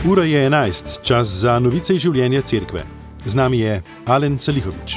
Ura je 11, čas za novice iz življenja cerkve. Z nami je Alen Salihovič.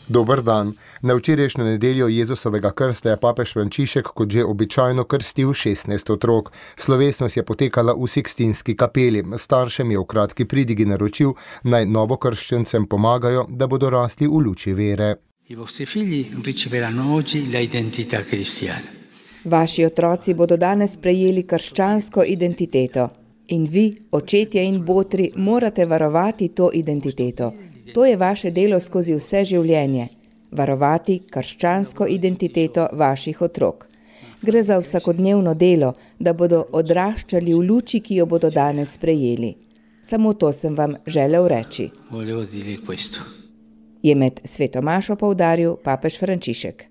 Dober dan. Na včerajšnjo nedeljo Jezusovega krsta je papež Frančišek kot že običajno krstil 16 otrok. Slovesnost je potekala v Sikstinski kapeli. Staršem je v kratki pridigi naročil, naj novokrščencem pomagajo, da bodo rasli v luči vere. I vostri figli riceveranno oggi la identità cristiana. Vaši otroci bodo danes prejeli krščansko identiteto. In vi, očetje in botri, morate varovati to identiteto. To je vaše delo skozi vse življenje. Varovati krščansko identiteto vaših otrok. Gre za vsakodnevno delo, da bodo odraščali v luči, ki jo bodo danes prejeli. Samo to sem vam želel reči. Je med svetomašo poudaril papež Frančišek.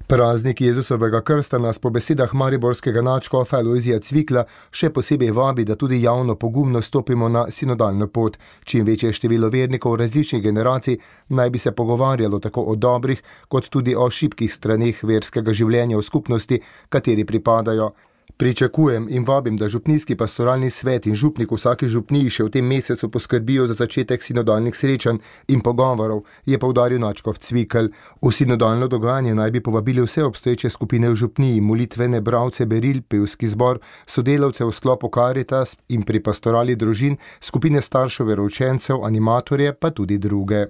Praznik Jezusovega krsta nas po besedah mariborskega nadškofa Alojzija Cvikla še posebej vabi, da tudi javno pogumno stopimo na sinodalno pot. Čim večje število vernikov različnih generacij naj bi se pogovarjalo tako o dobrih, kot tudi o šibkih straneh verskega življenja v skupnosti, kateri pripadajo. Pričakujem in vabim, da župnijski pastoralni svet in župnik vsaki župniji še v tem mesecu poskrbijo za začetek sinodalnih srečanj in pogovorov, je poudaril nadškof Cvikl. V sinodalno dogajanje naj bi povabili vse obstoječe skupine v župniji, molitvene bralce beril, pevski zbor, sodelavce v sklopu Karitas in pri pastorali družin, skupine staršev veroučencev, animatorje pa tudi druge.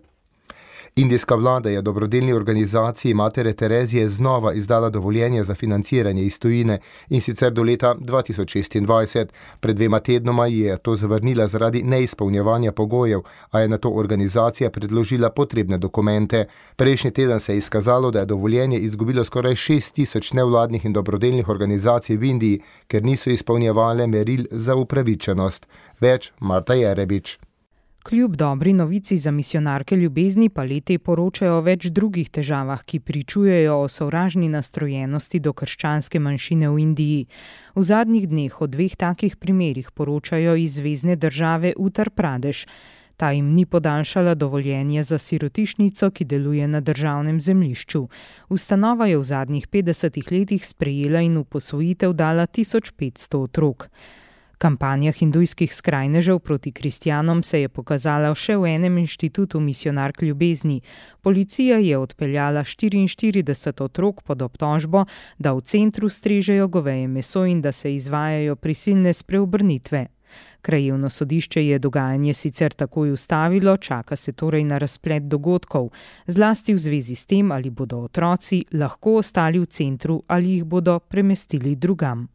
Indijska vlada je dobrodelni organizaciji Matere Terezije znova izdala dovoljenje za financiranje iz tujine, in sicer do leta 2026. Pred 2 tednoma je to zavrnila zaradi neizpolnjevanja pogojev, a je nato organizacija predložila potrebne dokumente. Prejšnji teden se je izkazalo, da je dovoljenje izgubilo skoraj 6.000 nevladnih in dobrodelnih organizacij v Indiji, ker niso izpolnjevale meril za upravičenost. Več Marta Jerebič. Kljub dobri novici za misijonarke ljubezni pa leti poročajo o več drugih težavah, ki pričujejo o sovražni nastrojenosti do krščanske manjšine v Indiji. V zadnjih dneh o 2 takih primerih poročajo iz zvezne države Uttar Pradeš. Ta jim ni podaljšala dovoljenje za sirotišnico, ki deluje na državnem zemljišču. Ustanova je v zadnjih 50 letih sprejela in v posvojitev dala 1500 otrok. Kampanja hindujskih skrajnežev proti kristjanom se je pokazala še v enem inštitutu misijonark ljubezni. Policija je odpeljala 44 otrok pod obtožbo, da v centru strežejo goveje meso in da se izvajajo prisilne spreobrnitve. Krajevno sodišče je dogajanje sicer takoj ustavilo, čaka se torej na razplet dogodkov, zlasti v zvezi s tem, ali bodo otroci lahko ostali v centru ali jih bodo premestili drugam.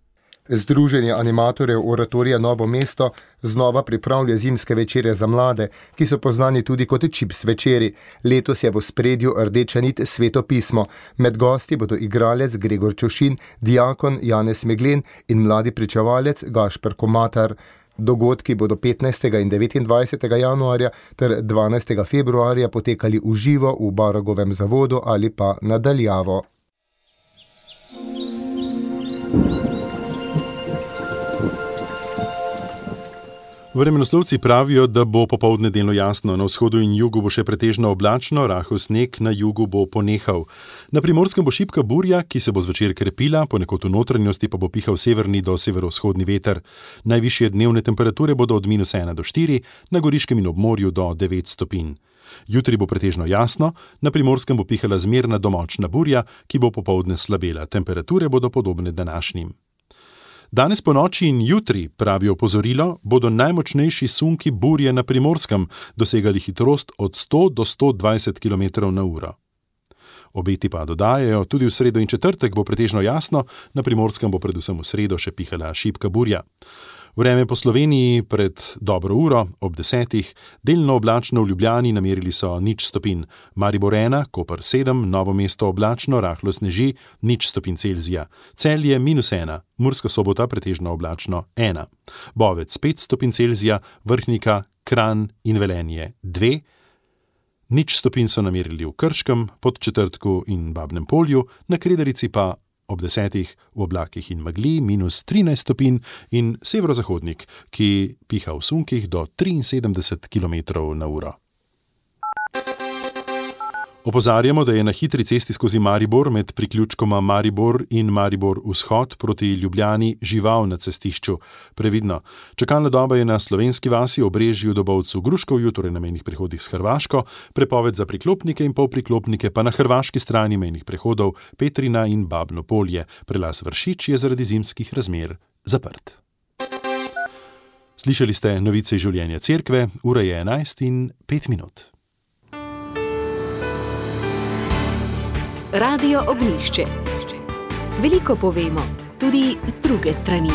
Združenje animatorjev Oratorija Novo mesto znova pripravlja zimske večere za mlade, ki so poznani tudi kot čips večeri. Letos je v ospredju rdeča nit Sveto pismo. Med gosti bodo igralec Gregor Čošin, diakon Janez Meglen in mladi pričevalec Gašper Komatar. Dogodki bodo 15. in 29. januarja ter 12. februarja potekali v živo v Baragovem zavodu ali pa na daljavo. Vremenoslovci pravijo, da bo popoldne delno jasno, na vzhodu in jugu bo še pretežno oblačno, rahel sneg, na jugu bo ponehal. Na Primorskem bo šibka burja, ki se bo zvečer krepila, ponekod v notranjosti pa bo pihal severni do severovzhodni veter. Najvišje dnevne temperature bodo od -1 do 4, na Goriškem in ob morju do 9 stopinj. Jutri bo pretežno jasno, na Primorskem bo pihala zmerna do močna burja, ki bo popoldne slabela. Temperature bodo podobne današnjim. Danes po noči in jutri, pravi opozorilo, bodo najmočnejši sunki burje na Primorskem dosegali hitrost od 100 do 120 km/h. Obeti pa dodajajo, tudi v sredo in četrtek bo pretežno jasno, na Primorskem bo predvsem v sredo še pihala šibka burja. Vreme po Sloveniji pred dobro uro, ob 10, delno oblačno v Ljubljani, namerili so 0 stopinj, Maribor 1, Koper 7, Novo mesto oblačno, rahlo sneži, 0 stopinj Celzija, Celje -1, Murska Sobota pretežno oblačno 1, Bovec 5 stopinj Celzija, Vrhnika, Kranj in Velenje 2, 0 stopinj so namerili v Krškem, Podčetrtku in Babnem Polju, na Kredarici pa ob 10 v oblakih in megli -13 stopinj in severozahodnik, ki piha v sunkih do 73 km/h. Opozarjamo, da je na hitri cesti skozi Maribor med priključkoma Maribor in Maribor vzhod proti Ljubljani žival na cestišču. Previdno. Čakalna doba je na Slovenski vasi, Obrežju, Dobovcu, Gruškovju, torej na mejnih prehodih s Hrvaško, prepoved za priklopnike in polpriklopnike pa na hrvaški strani mejnih prehodov Petrina in Babno Polje. Prelaz Vršič je zaradi zimskih razmer zaprt. Slišali ste novice iz življenja cerkve, ura je 11:05. Radio Ognjišče. Veliko povemo, tudi z druge strani.